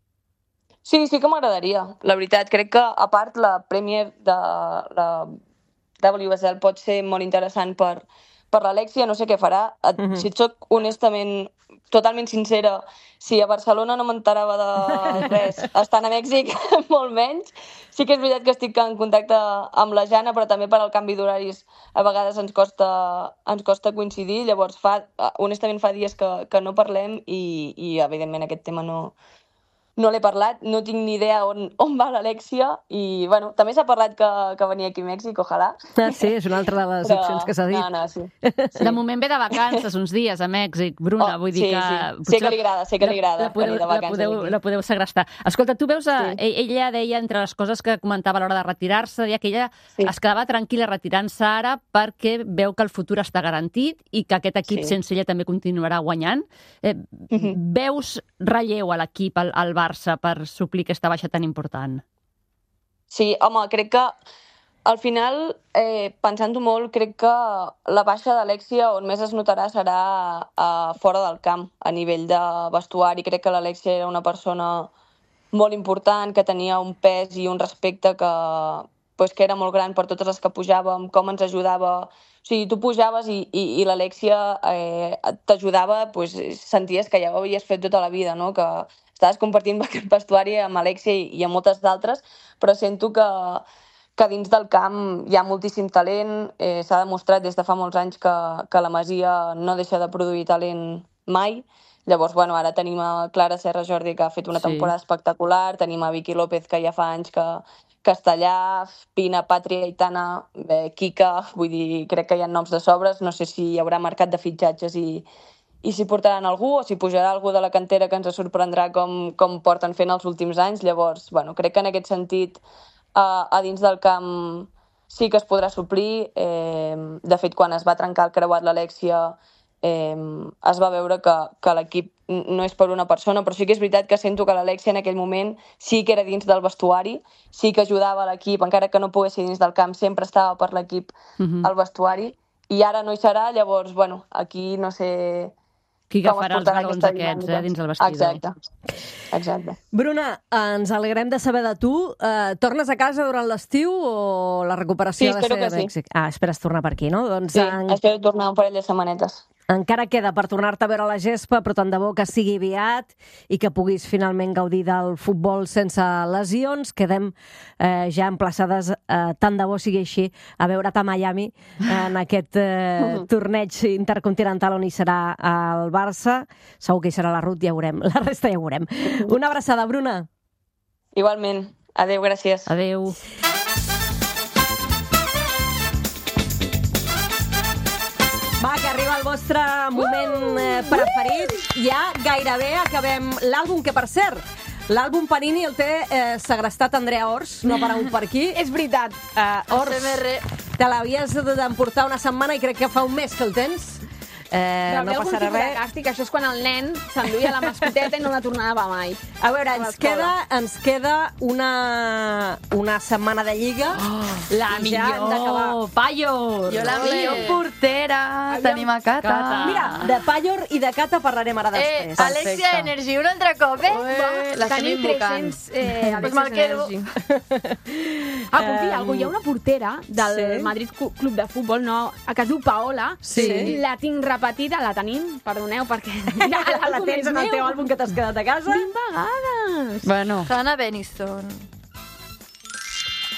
Sí que m'agradaria. La veritat, crec que, a part, la Premier de la WSL pot ser molt interessant per l'Alexia, no sé què farà. Si et soc honestament, totalment sincera, si a Barcelona no m'enterava de res, estant a Mèxic, molt menys. Sí que és veritat que estic en contacte amb la Jana, però també per al canvi d'horaris a vegades ens costa coincidir. Llavors, honestament, fa dies que no parlem i evidentment, aquest tema no l'he parlat, no tinc ni idea on va l'Alexia i, bueno, també s'ha parlat que venia aquí a Mèxic, ojalà. Sí, és una altra de les opcions que s'ha dit. No, sí. De moment ve de vacances uns dies a Mèxic, Bruna, vull dir que... Sé que li agrada venir de vacances. La podeu segrestar. Escolta, tu veus, ella deia, entre les coses que comentava a l'hora de retirar-se, deia que ella es quedava tranquil·la retirant-se ara perquè veu que el futur està garantit i que aquest equip sense ella també continuarà guanyant. Veus relleu a l'equip, al Barça, per suplir aquesta baixa tan important? Sí, home, crec que al final, pensant-ho molt, crec que la baixa d'Alexia on més es notarà serà fora del camp, a nivell de vestuari. Crec que l'Alexia era una persona molt important, que tenia un pes i un respecte que era molt gran per totes les que pujàvem, com ens ajudava. O sigui, tu pujaves i l'Alexia t'ajudava, senties que ja ho havies fet tota la vida, no? Que estaves compartint aquest vestuari amb Alexia i amb moltes d'altres, però sento que dins del camp hi ha moltíssim talent. S'ha demostrat des de fa molts anys que la Masia no deixa de produir talent mai. Llavors, ara tenim a Clara Serra Jordi, que ha fet una temporada espectacular, tenim a Vicky López, que ja fa anys que està allà, Pina, Pàtria, Aitana, Kika, vull dir, crec que hi ha noms de sobres, no sé si hi haurà mercat de fitxatges i si portaran algú o si pujarà algú de la cantera que ens sorprendrà com porten fent els últims anys. Llavors, crec que en aquest sentit, a dins del camp sí que es podrà suplir. De fet, quan es va trencar el creuat l'Alexia, es va veure que l'equip no és per una persona, però sí que és veritat que sento que l'Alexia en aquell moment sí que era dins del vestuari, sí que ajudava l'equip, encara que no pogués ser dins del camp, sempre estava per l'equip al vestuari, i ara no hi serà. Llavors, aquí no sé... Qui agafarà els galons aquests dins del vestidor. Exacte. Bruna, ens alegrem de saber de tu. Tornes a casa durant l'estiu o la recuperació ha de ser a Mèxic? Esperes tornar per aquí, no? Sí, espero tornar un parell de setmanetes. Encara queda per tornar-te a veure la gespa, però tant de bo que sigui aviat i que puguis finalment gaudir del futbol sense lesions. Quedem ja emplaçades, tant de bo sigui així, a veure't a Miami en aquest torneig intercontinental on hi serà el Barça. Segur que hi serà la Ruth, ja veurem. La resta ja veurem. Una abraçada, Bruna. Igualment. Adéu, gràcies. Adéu. Va, que arriba el vostre moment preferit. Ja gairebé acabem l'àlbum, que per cert, l'àlbum Panini el té segrestat Andrea Ors, no per un per aquí. És veritat. Ors, te l'havies d'emportar una setmana i crec que fa un mes que el tens. No passarà res. Càstig, això és quan el nen s'enduia la mascoteta i no la tornava mai. A veure, ens queda una setmana de Lliga. La millor Pallor. Jo la millor portera. Tenim a Cata. Mira, de Pallor i de Cata parlarem ara després. Alexia Energy, un altre cop, Tenim 300 Alexia Energy. Confia, hi ha una portera del Madrid Club de Futbol, a que es diu Paola. La tinc repetida, la tenim, perdoneu, perquè la tens en el teu àlbum que t'has quedat a casa? 20 vegades! Bueno. Hannah Beniston.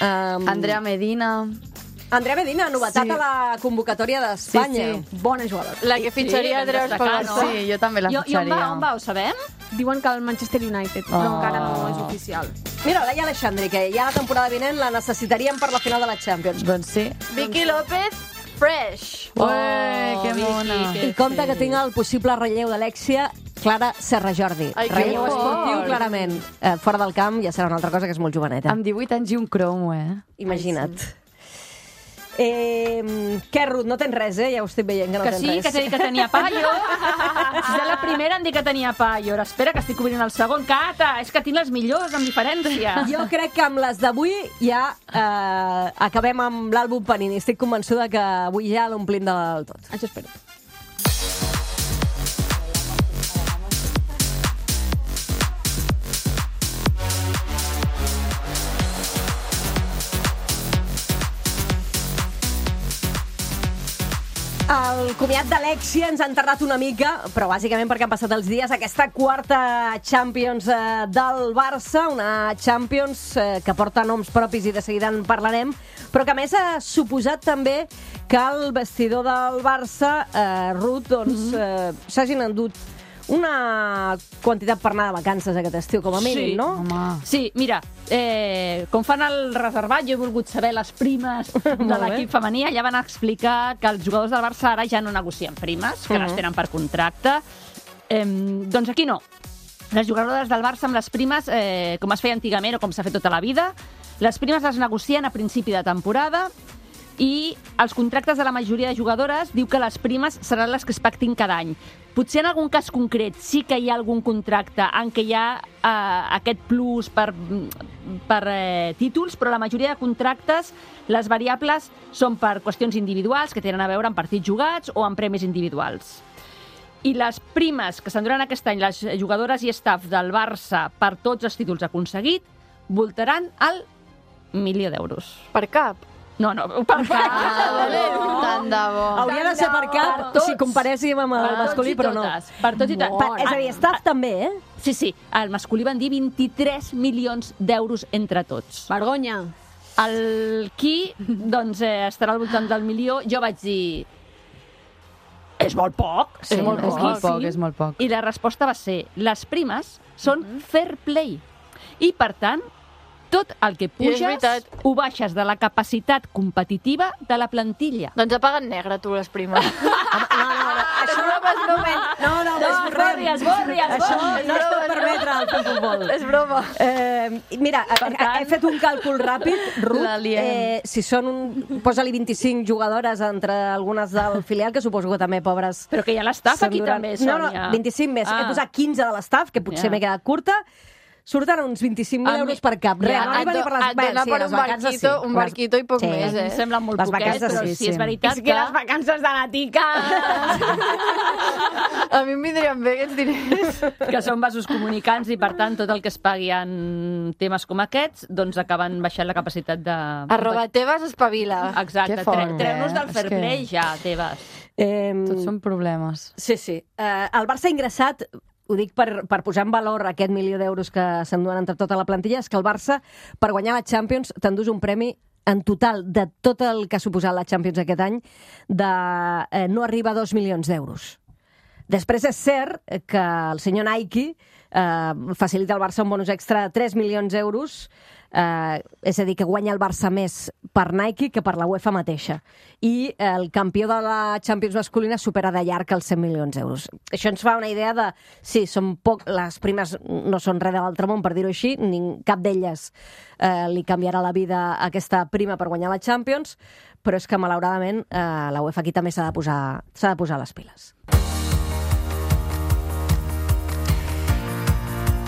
Andrea Medina. Andrea Medina, novetat a la convocatòria d'Espanya. Sí. Bona jugadora. La que fitxaria Andrea Escobar. Sí, jo també la fitxaria. I on va, ho sabem? Diuen que el Manchester United, però encara no és oficial. Mira, Laia Alexandri, que ja la temporada vinent la necessitaríem per la final de la Champions. Doncs sí. Vicky López, fresh. Que mona. I compte que tinc el possible relleu d'Alexia, Clara Serra Jordi. Relleu esportiu, clarament. Fora del camp ja serà una altra cosa, que és molt joveneta. Amb 18 anys i un cromo, Imagina't. Què, Ruth, no tens res, Ja ho estic veient, que no tens res. Que t'he dit que tenia paio. Si de la primera em dic que tenia paio. Ara espera, que estic obrint el segon. Cata, és que tinc les millors, amb diferència. Jo crec que amb les d'avui ja acabem amb l'àlbum Panini. Estic convençuda que avui ja l'omplim del tot. Això espero. El comiat d'Alexia ens ha enterrat una mica, però bàsicament perquè han passat els dies, aquesta quarta Champions del Barça, una Champions que porta noms propis i de seguida en parlarem, però que a més ha suposat també que el vestidor del Barça, Ruth, doncs, s'hagin endut una quantitat per anar de vacances aquest estiu, com a mínim, no? Home. Sí, mira, com fan el reservat, jo he volgut saber les primes de l'equip femení. Allà van explicar que els jugadors del Barça ara ja no negocien primes, que les tenen per contracte. Doncs aquí no. Les jugadores del Barça amb les primes, com es feia antigament o com s'ha fet tota la vida, les primes les negocien a principi de temporada i els contractes de la majoria de jugadores diu que les primes seran les que es pactin cada any. Potser en algun cas concret sí que hi ha algun contracte en què hi ha aquest plus per títols, però la majoria de contractes, les variables són per qüestions individuals que tenen a veure amb partits jugats o amb premis individuals. I les primes que s'enduran aquest any les jugadores i staff del Barça per tots els títols aconseguit voltaran al 1.000.000 d'euros. Per cap. No, per cap. Tant de bo. Hauria de ser per cap si comparéssim amb el masculí, però no. Per tots i tots. És a dir, staff també, Sí, el masculí van dir 23 milions d'euros entre tots. Vergonya. El qui, doncs, estarà al voltant del 1.000.000. Jo vaig dir... És molt poc. Sí, és molt poc. I la resposta va ser, les primes són fair play. I, per tant, tot el que puges ho baixes de la capacitat competitiva de la plantilla. Doncs ha pagat negre, tu, les primes. Això no és broma. No, Esborri. Això no es pot permetre al futbol. És broma. Mira, he fet un càlcul ràpid, Ruth. Si són posa-li 25 jugadores entre algunes del filial, que suposo que també, pobres... Però que hi ha l'estaf aquí també, Sònia. No, 25 més. He posat 15 de l'estaf, que potser m'he quedat curta. Surten uns 25.000 euros per cap. Et dona per un barquito i poc més, Em sembla molt poquet, però sí és veritat És que les vacances de la tica... A mi em vindrien bé aquests diners. Que són vasos comunicants i, per tant, tot el que es pagui en temes com aquests, doncs acaben baixant la capacitat de... @Tebas espavila. Exacte, treu-nos del fair play ja, Tebas. Tots són problemes. Sí. El Barça ha ingressat, ho dic per posar en valor aquest 1.000.000 d'euros que s'enduen entre tota la plantilla, és que el Barça, per guanyar la Champions, t'endús un premi en total de tot el que ha suposat la Champions aquest any de no arriba a 2 milions d'euros. Després és cert que el senyor Nike facilita al Barça un bonus extra de 3 milions d'euros, és a dir, que guanya el Barça més per Nike que per la UEFA mateixa. I el campió de la Champions masculina supera de llarg els 100 milions d'euros. Això ens fa una idea de, sí, són poc, les primes no són res de l'altre món, per dir-ho així, cap d'elles li canviarà la vida a aquesta prima per guanyar la Champions, però és que, malauradament, la UEFA aquí també s'ha de posar les piles.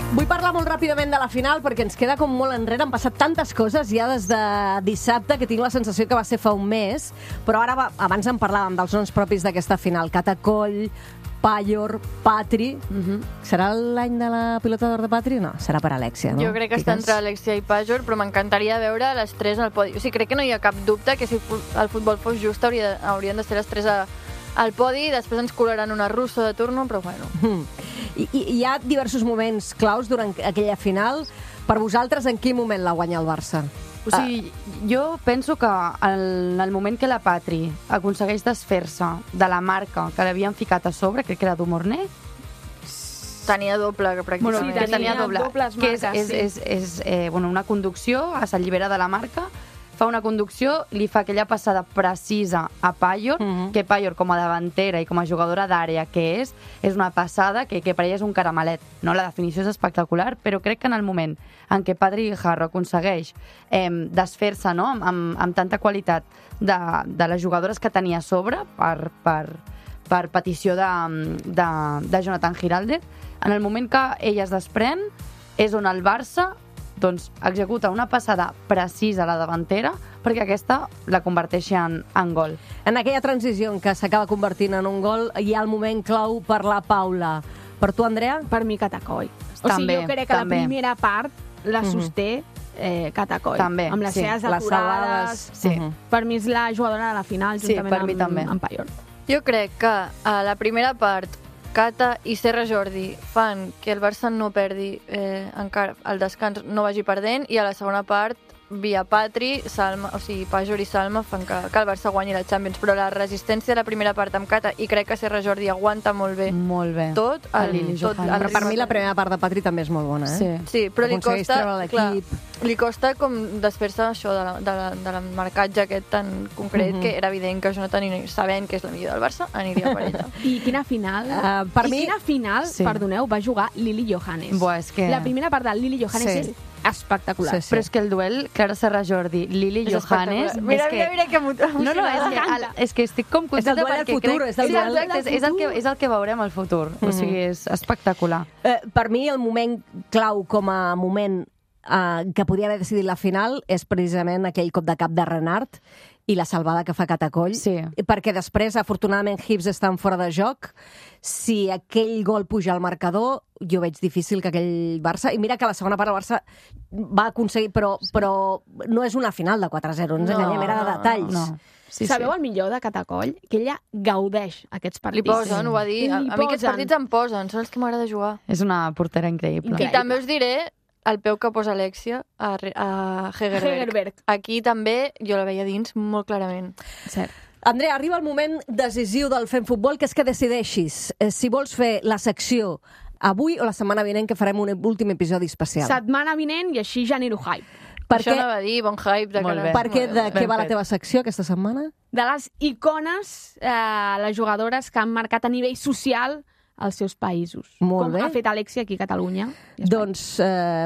Vull parlar molt ràpidament de la final perquè ens queda com molt enrere. Han passat tantes coses ja des de dissabte que tinc la sensació que va ser fa un mes, però ara abans en parlàvem dels noms propis d'aquesta final. Catacoll, Pallor, Patri. Serà l'any de la pilota d'or de Patri? No, serà per Alexia, no? Jo crec que està entre Alexia i Pallor, però m'encantaria veure les tres al podi. O sigui, crec que no hi ha cap dubte que si el futbol fos just haurien de ser les tres al podi, després ens colaran una russa de turno, però bueno. I hi ha diversos moments claus durant aquella final. Per vosaltres, en quin moment la guanya el Barça? O sigui, jo penso que en el moment que la Patri aconsegueix desfer-se de la marca que l'havien ficat a sobre, crec que era Dumorné, tenia doble, pràcticament. Sí, tenia dobles que marques, és una conducció, s'allibera de la marca, fa una conducció, li fa aquella passada precisa a Payor, que Payor, com a davantera i com a jugadora d'àrea que és una passada que per ella és un caramelet. No? La definició és espectacular, però crec que en el moment en què Patrick Guijarro aconsegueix desfer-se, no? amb tanta qualitat de les jugadores que tenia a sobre per petició de Jonathan Giraldez, en el moment que ella es desprèn és on el Barça executa una passada precisa a la davantera perquè aquesta la converteixi en gol. En aquella transició en què s'acaba convertint en un gol, hi ha el moment clau per la Paula. Per tu, Andrea? Per mi, Catacoll. També, jo crec que la primera part la sosté Catacoll. També, amb les seves aturades. Sí. Per mi és la jugadora de la final, juntament amb Payor. Jo crec que a la primera part Cata i Serra Jordi fan que el Barça no perdi encara el descans, no vagi perdent, i a la segona part via Patri, Salma, o sigui, Pajor i Salma fan que el Barça guanyi la Champions, però la resistència de la primera part amb Cata, i crec que Serra Jordi aguanta molt bé. Tot. Però per mi la primera part de Patri també és molt bona, Sí, però li costa com desfer-se això del marcatge aquest tan concret, que era evident que Jonathan, sabent que és la millor del Barça, aniria per ella. I quina final, quina final, perdoneu, va jugar Lili Johannes. La primera part de Lili Johannes és espectacular. Però és que el duel Clara Serra Jordi, Lili Johannes... Mira que emocionant. És que estic com contenta perquè crec... És el que veurem al futur. O sigui, és espectacular. Per mi, el moment clau com a moment que podia haver decidit la final és precisament aquell cop de cap de Renard i la salvada que fa Catacoll, perquè després, afortunadament, Hibbs estan fora de joc. Si aquell gol puja al marcador, jo veig difícil que aquell Barça... I mira que la segona part el Barça va aconseguir, però no és una final de 4-0, ens enganyem, era de detalls. Sabeu el millor de Catacoll? Que ella gaudeix aquests partits. Li posen, ho va dir. A mi aquests partits em posen, són els que m'agrada jugar. És una portera increïble. I també us diré el peu que posa Alexia a Hegerberg. Aquí també jo la veia dins molt clarament. Cert. Andrea, arriba el moment decisiu del Fem Futbol, que és que decideixis si vols fer la secció avui o la setmana vinent, que farem un últim episodi especial. Setmana vinent i així genero hype. Això no va dir, bon hype. Per què? De què va la teva secció aquesta setmana? De les icones, les jugadores que han marcat a nivell social als seus països. Molt bé. Com ha fet Alexia aquí a Catalunya. Doncs,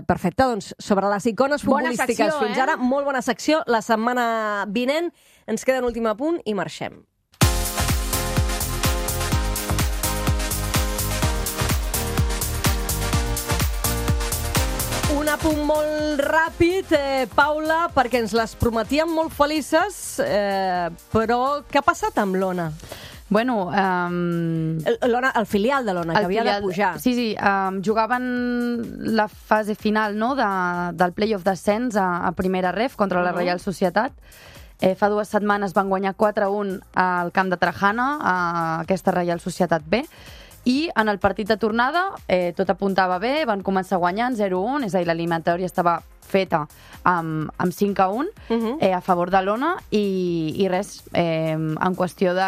perfecte. Doncs, sobre les icones futbolístiques fins ara, molt bona secció. La setmana vinent ens queda un últim apunt i marxem. Un apunt molt ràpid, Paula, perquè ens les prometíem molt felices, però què ha passat amb l'Ona? Bueno, el filial de l'Ona, que havia de pujar. Sí, jugaven la fase final, no?, del play-off d'ascens a primera ref contra la Reial Societat. Fa 2 setmanes van guanyar 4-1 al camp de Trajana, a aquesta Reial Societat B, i en el partit de tornada tot apuntava bé, van començar guanyant 0-1, és a dir, l'eliminatòria estava feta amb 5-1 a favor de l'Ona i res, en qüestió de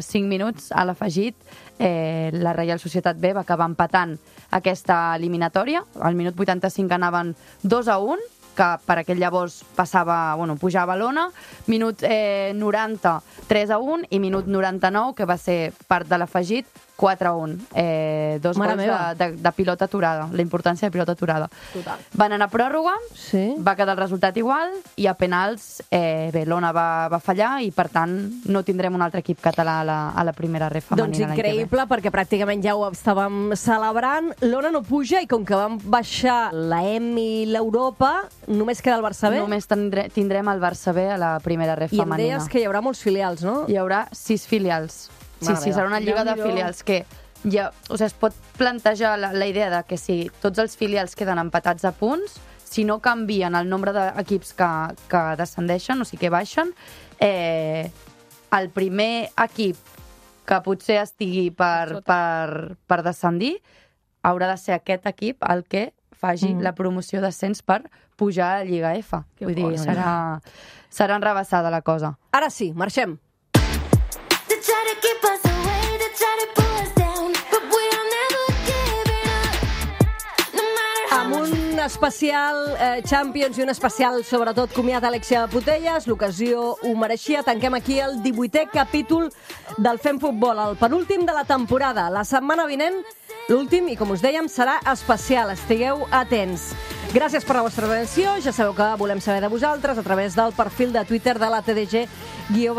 5 minuts a l'afegit la Reial Societat B va acabar empatant aquesta eliminatòria. Al minut 85 anaven 2-1, que per aquell llavors pujava l'Ona, minut 90 3-1 i minut 99, que va ser part de l'afegit, 4-1. 2 gols de pilota aturada, la importància de pilota aturada. Total. Van anar a pròrroga, va quedar el resultat igual, i a penals l'Ona va fallar i, per tant, no tindrem un altre equip català a la primera ref femenina. Doncs increïble, perquè pràcticament ja ho estàvem celebrant. L'Ona no puja i com que vam baixar la EM i l'Europa, només queda el Barça B. Només tindrem el Barça B a la primera ref femenina. I em deies que hi haurà molts filials, no? Hi haurà 6 filials. Sí, serà una lliga de filials que es pot plantejar la idea de que si tots els filials queden empatats a punts, si no canvien el nombre d'equips que descendeixen, o sigui que baixen, el primer equip que potser estigui per descendir haurà de ser aquest equip el que faci la promoció d'ascens per pujar a Lliga F. Vull dir, serà enrabassada la cosa. Ara sí, marxem. Amb un especial Champions i un especial, sobretot, comiat Alexia Putellas. L'ocasió ho mereixia. Tanquem aquí el 18è capítol del Fem Futbol, el penúltim de la temporada. La setmana vinent, l'últim, i com us dèiem, serà especial. Estigueu atents. Gràcies per la vostra atenció. Ja sabeu que volem saber de vosaltres a través del perfil de Twitter de la TDG_oficial.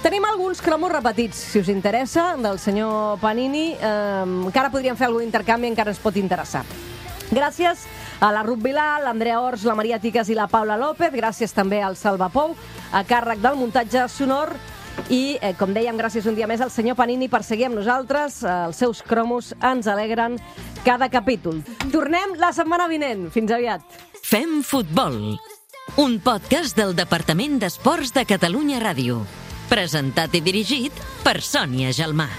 Tenim alguns cromos repetits, si us interessa, del senyor Panini. Encara podríem fer algun intercanvi, encara ens pot interessar. Gràcies a la Ruth Vilà, l'Andrea Ors, la Maria Tiques i la Paula López. Gràcies també al Salva Pou, a càrrec del muntatge sonor. I, com dèiem, gràcies un dia més al senyor Panini per seguir amb nosaltres. Els seus cromos ens alegren cada capítol. Tornem la setmana vinent. Fins aviat. Fem Futbol, un podcast del Departament d'Esports de Catalunya Ràdio. Presentat i dirigit per Sònia Gelmà.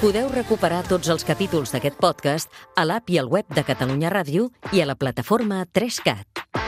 Podeu recuperar tots els capítols d'aquest podcast a l'app i al web de Catalunya Ràdio i a la plataforma 3CAT.